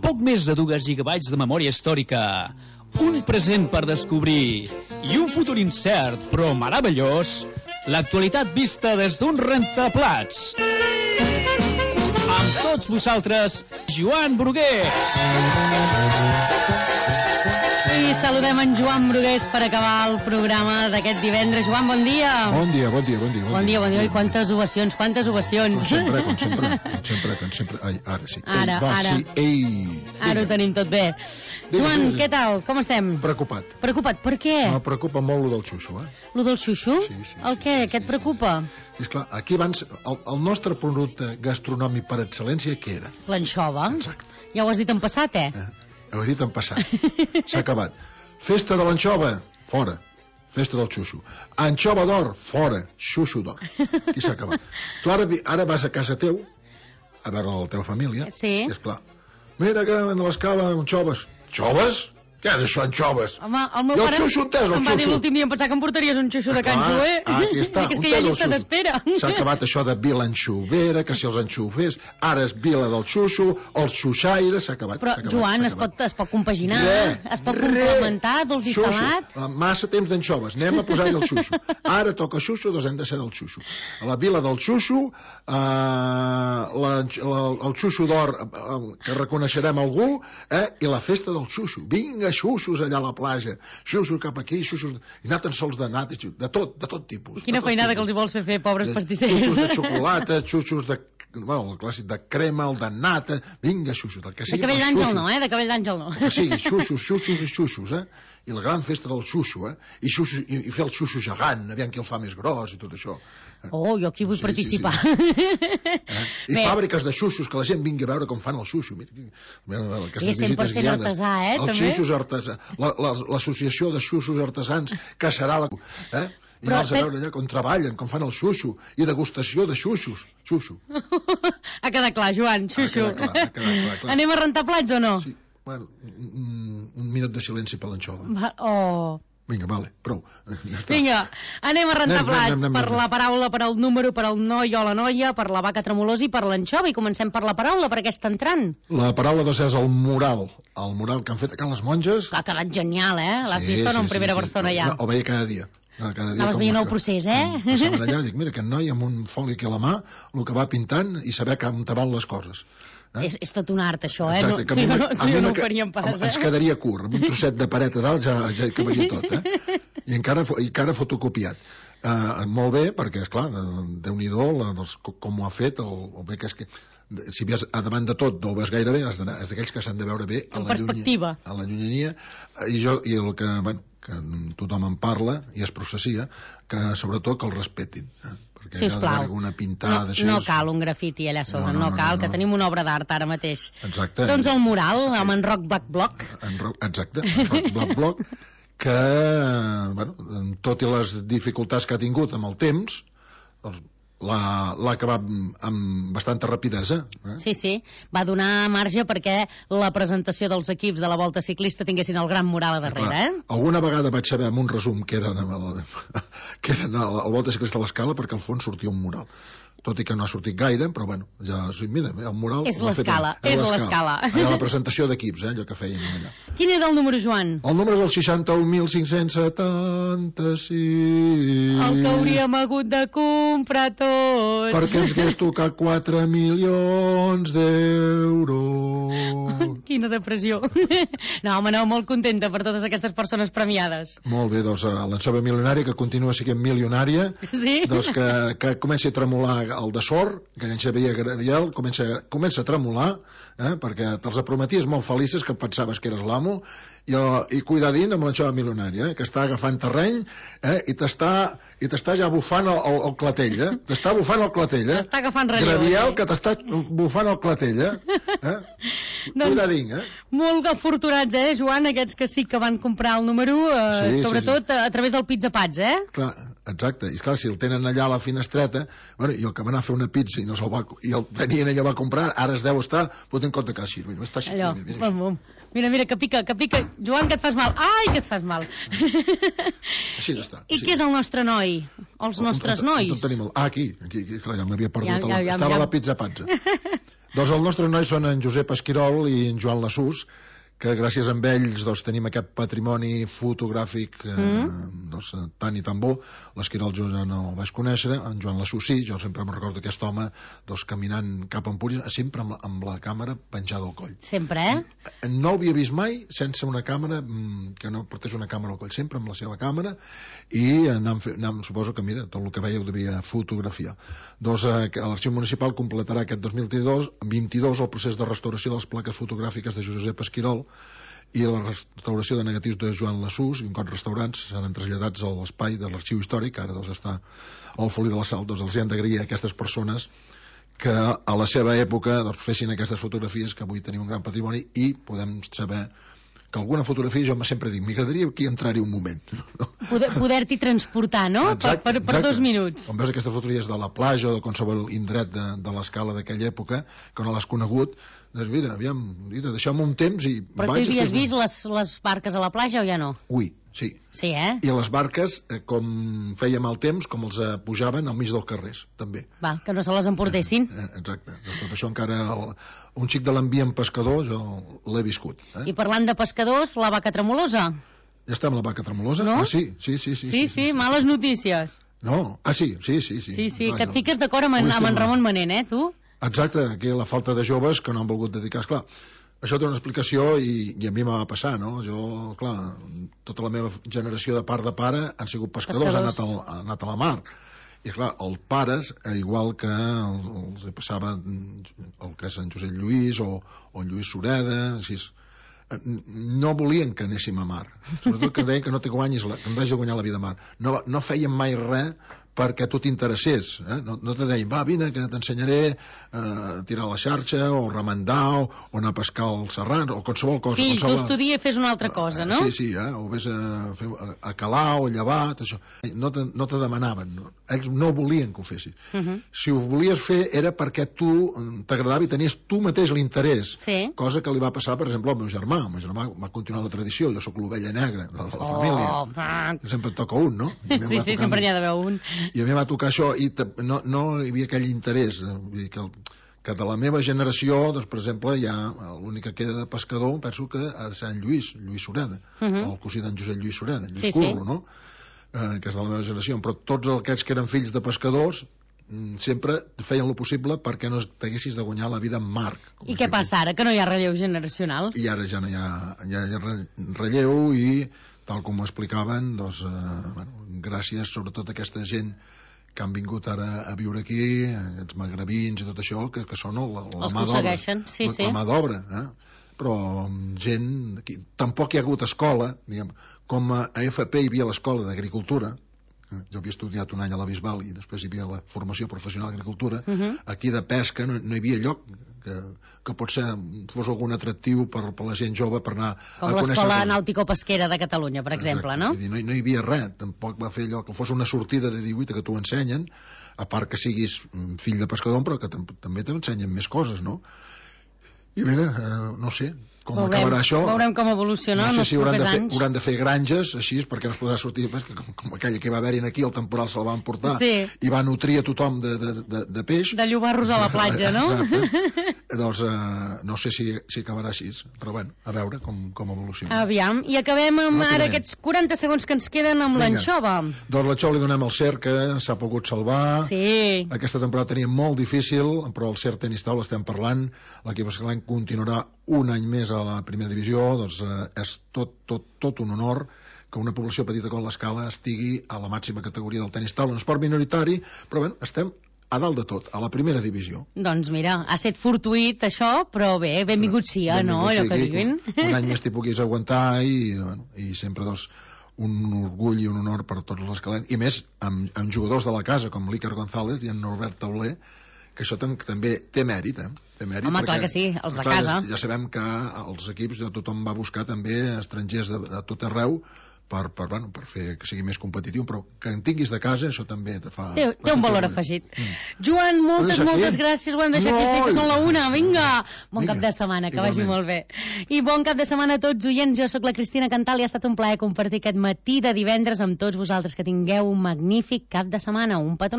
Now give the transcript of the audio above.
poc més de 2 gigabytes de memòria històrica, un present per descobrir i un futur incert però meravellós, l'actualitat vista des d'un rentaplats. Amb tots vosaltres, Joan Brugués. I saludem en Joan Brugués per acabar el programa d'aquest divendres. Joan, bon dia. Bon dia. Bon dia. I quantes ovacions. Com sempre. Ai, ara sí. Ara. Sí, ei. Ara ho tenim tot bé. Joan, què tal? Com estem? Preocupat. Preocupat, per què? Me preocupa molt lo del xuxo, Lo del xuxo? Sí. El què? Què et preocupa? És clar, aquí abans, el nostre producte gastronòmic per excel·lència, què era? L'anxova. Exacte. Ja ho has dit en passat, Ho he dit en passat. S'ha acabat. Festa de l'anxova, fora. Festa del xuxo. Anxova d'or, fora. Xuxo d'or. Aquí s'ha acabat. Tu ara vas a casa teu, a veure la teva família, sí. I és clar. Mira que en l'escala anxoves. Xoves? Què és això, anxoves? Home, el meu pare em va dir l'últim dia em pensava que em portaries un xuxo de canxo, Aquí està. És que hi ha llista d'espera. S'ha acabat això de vila anxovera, que si els anxovers, ara és vila del xuxo, els xuxaires, s'ha acabat. Però, Joan, es pot compaginar, es pot complementar, dolç i salat. Massa temps d'anxoves, anem a posar-hi el xuxo. Ara toca xuxo, doncs hem de ser del xuxo. A la vila del xuxo, el xuxo d'or, que reconeixerem algú, i la festa del xuxo. Vinga, xuxos allà a la platja, xuxos cap aquí, xuxos... I anar tan sols de nata, de tot tipus. Quina feinada que els hi vols fer, pobres pastissers. Xuxos de xocolata, xuxos de... Bueno, el clàssic de crema, el de nata... Vinga, xuxos, del que sigui. De cabell d'àngel no, de cabell d'àngel no. Que sigui, xuxos, I la gran festa del xuxo, I fer el xuxo gegant, aviam qui el fa més gros i tot això. Oh, jo aquí vull participar. I fàbriques de xuxos, que la gent vingui a veure com fan el xuxo. I 100% artesà, també. Els xuxos artesà. L'associació de xuxos artesans, que serà la... I anar-los a veure allà com treballen, com fan el xuxo, i degustació de xuxos. Xuxo. Ha quedat clar, Joan, xuxo. Ha quedat clar. Anem a rentar plats o no? Sí, bueno, un minut de silenci per l'anxova. Oh... Vinga, vale, prou. Ja Vinga, anem a rentar plats per la paraula, per el número, per el noi o la noia, per la vaca tremolosa i per l'anxova. I comencem per la paraula, per aquesta entrant. La paraula doncs és el mural que han fet a Can les Monges. Ha quedat genial, L'has vist o no en primera persona ja? Ho veia cada dia. Anaves veient el procés, Passaven allà, dic, mira, aquest noi amb un foli aquí a la mà, el que va pintant i saber com te van les coses. És tot un art, això, Exacte, si no ho faríem pas, Ens quedaria curt, amb un trosset de paret a dalt ja hi cabaria tot, I encara fotocopiat. Molt bé, perquè, esclar, Déu-n'hi-do com ho ha fet, el bé que és que si ves a davant de tot no ho ves gaire bé, és d'aquells que s'han de veure bé a la llunyania, i el que, bueno, que tothom en parla i es processia, que sobretot que el respetin, perquè sisplau, una pintada no cal un grafiti allà sobre, no cal, que tenim una obra d'art ara mateix. Exacte. Doncs el mural amb en Roc Black Block. Exacte, en Roc Black Block, que, bueno, tot i les dificultats que ha tingut amb el temps, l'ha acabat amb bastanta rapidesa. Sí, va donar marge perquè la presentació dels equips de la Volta Ciclista tinguessin el gran mural a darrere. Alguna vegada vaig saber amb un resum que eren el Volta Ciclista a l'Escala, perquè al fons sortia un mural, tot i que no ha sortit gaire, però bueno, ja, mira, el mural... És l'Escala. Allà la presentació d'equips, allò que feien allà. Quin és el número, Joan? El número és el 61.576. El que hauríem hagut de comprar tots. Perquè ens hagués tocat 4 milions d'euros. Quina depressió. No, home, no, molt contenta per totes aquestes persones premiades. Molt bé, doncs l'anxova milionària, que continua sent milionària, doncs que comenci a tremolar el de sort, que en Xavier Gabriel comença a tremolar, perquè te'ls prometies molt felices, que pensaves que eres l'amo, i cuidadín amb l'anxova milionària, que està agafant terreny, i t'està ja bufant el clatell, t'està bufant el clatell, t'està agafant relleu, Gabriel, que t'està bufant el clatell, cuidadín, Molt afortunats, Joan, aquests que sí que van comprar el número, sobretot a través del Pizza Pats, Clar, exacte, i clar, si el tenen allà a la finestreta, bueno, i el que va anar a fer una pizza i el tenien ella va comprar, ara es deu estar fotent compte que així, està així. Mira, que pica, Joan, que et fas mal, ai, que et fas mal. Així està. I què és el nostre noi? Els nostres nois? Aquí, clar, ja m'havia perdut, estava a la Pizza Pazza. Doncs els nostres nois són en Josep Esquirol i en Joan Lassús, que gràcies a ells tenim aquest patrimoni fotogràfic doncs, tan i tan bo. L'Esquirol jo ja no el vaig conèixer, en Joan Lassús sí, jo sempre me'n recordo aquest home caminant cap a Empúries, sempre amb la càmera penjada al coll. Sempre, No l'havia vist mai sense una càmera, que no portés una càmera al coll, sempre amb la seva càmera, i suposo que, mira, tot el que veia ho devia fotografiar. Doncs l'Arxiu Municipal completarà aquest 2022 el procés de restauració de les plaques fotogràfiques de Josep Esquirol i la restauració de negatius de Joan Lassús, i un cop restaurats seran traslladats a l'espai de l'Arxiu Històric, que ara està al Folí de la Sal. Els hi han d'agrair a aquestes persones que a la seva època fessin aquestes fotografies, que avui tenim un gran patrimoni, i podem saber que alguna fotografia, jo sempre dic, m'agradaria aquí entrar-hi un moment. Poder-t'hi transportar, no? Exacte, per 2 minuts. Quan veus aquestes fotografies de la platja o de qualsevol indret de l'escala d'aquella època, que no l'has conegut, doncs mira, aviam, deixeu-me un temps i... Però tu havies vist les barques a la platja o ja no? Ui, sí. Sí, I les barques, com feia mal temps, com els pujaven al mig dels carrers, també. Va, que no se les emportessin. Exacte. Doncs tot això encara... Un xic de l'ambient pescador jo l'he viscut. I parlant de pescadors, la vaca tremolosa. Ja està amb la vaca tremolosa? No? Ah, sí, males notícies. No? Ah, sí. Sí, que et fiques d'acord amb en Ramon Manent, tu? Exacte, aquí la falta de joves que no han volgut dedicar. Esclar, això té una explicació i a mi m'ha passar, no? Jo, clar, tota la meva generació de part de pare han sigut pescadors. Han anat a la mar. I clar, els pares, igual que els passava el que és en Josep Lluís o en Lluís Sureda, així, no volien que anéssim a mar, sobretot que deien que no te guanyis que no t'hagi de guanyar la vida a mar. No feien mai res perquè tu t'interessés, no te deien, va, vine que t'ensenyaré a tirar la xarxa o remendar o anar a pescar al Serrat o qualsevol cosa. Fill, tu estudia i fes una altra cosa, no? Sí, o vés a calar o llevar, tot això. No te demanaven, ells no volien que ho fessis. Si ho volies fer era perquè tu t'agradava i tenies tu mateix l'interès, cosa que li va passar, per exemple, al meu germà. El meu germà va continuar la tradició, jo sóc l'ovella negra de la família, sempre et toca un, no? Sí, sempre n'hi ha d'haver un. I a mi va tocar això i no hi havia aquell interès. Vull dir que de la meva generació, doncs, per exemple, hi ha l'únic que queda de pescador, penso que ha de ser en Lluís Sureda, el cosí d'en Josep Lluís Sureda, Lluís Curro, no? Que és de la meva generació. Però tots aquests que eren fills de pescadors sempre feien el possible perquè no t'haguessis de guanyar la vida en mar. I què passa ara, que no hi ha relleu generacional? I ara ja no hi ha relleu i, tal com ho explicaven, doncs, gràcies sobretot a aquesta gent que han vingut ara a viure aquí, aquests magrebins i tot això, que són la mà d'obra. La mà d'obra, però gent... Tampoc hi ha hagut escola, diguem, com a FP hi havia l'escola d'agricultura, jo havia estudiat un any a la Bisbal i després hi havia la formació professional d'agricultura, aquí de pesca no hi havia lloc que potser fos algun atractiu per la gent jove per anar com l'escola nàutico-pesquera de Catalunya, per exemple, no? No hi havia res, tampoc va fer allò que fos una sortida de 18 que t'ho ensenyen, a part que siguis fill de pescador, però que també t'ensenyen més coses, no? I mira, no sé com acabarà això. Veurem com evoluciona en els propers anys. Hauran de fer granges així, perquè no es podrà sortir, com aquella que va haver-hi aquí, el temporal se'l van portar i va nutrir a tothom de peix. De llobarros a la platja, no? Doncs no sé si acabarà així, però bueno, a veure com evoluciona. Aviam, i acabem amb ara aquests 40 segons que ens queden amb l'anxova. Doncs l'anxova li donem al CERT, que s'ha pogut salvar. Sí. Aquesta temporada tenia molt difícil, però el CERT Tenis Taula estem parlant, l'equip escalant continuarà un any més a la primera divisió, doncs és tot un honor que una població petita com l'Escala estigui a la màxima categoria del tenis taula, un esport minoritari, però bé, estem a dalt de tot, a la primera divisió. Doncs mira, ha estat fortuït això, però bé, benvingut sia, no? Allò que diguin. Un any més t'hi puguis aguantar i sempre, doncs, un orgull i un honor per tots els escalents, i més amb jugadors de la casa, com l'Iker González i en Norbert Tauler, que això també té mèrit, Té mèrit. Home, clar que sí, els de casa. Ja sabem que els equips, tothom va buscar també estrangers de tot arreu per fer que sigui més competitiu, però que en tinguis de casa, això també te fa... Té un valor afegit. Joan, moltes gràcies, ho hem deixat aquí, sí que són la una, vinga! Bon cap de setmana, que vagi molt bé. I bon cap de setmana a tots, oients, jo sóc la Cristina Cantal i ha estat un plaer compartir aquest matí de divendres amb tots vosaltres, que tingueu un magnífic cap de setmana, un petó.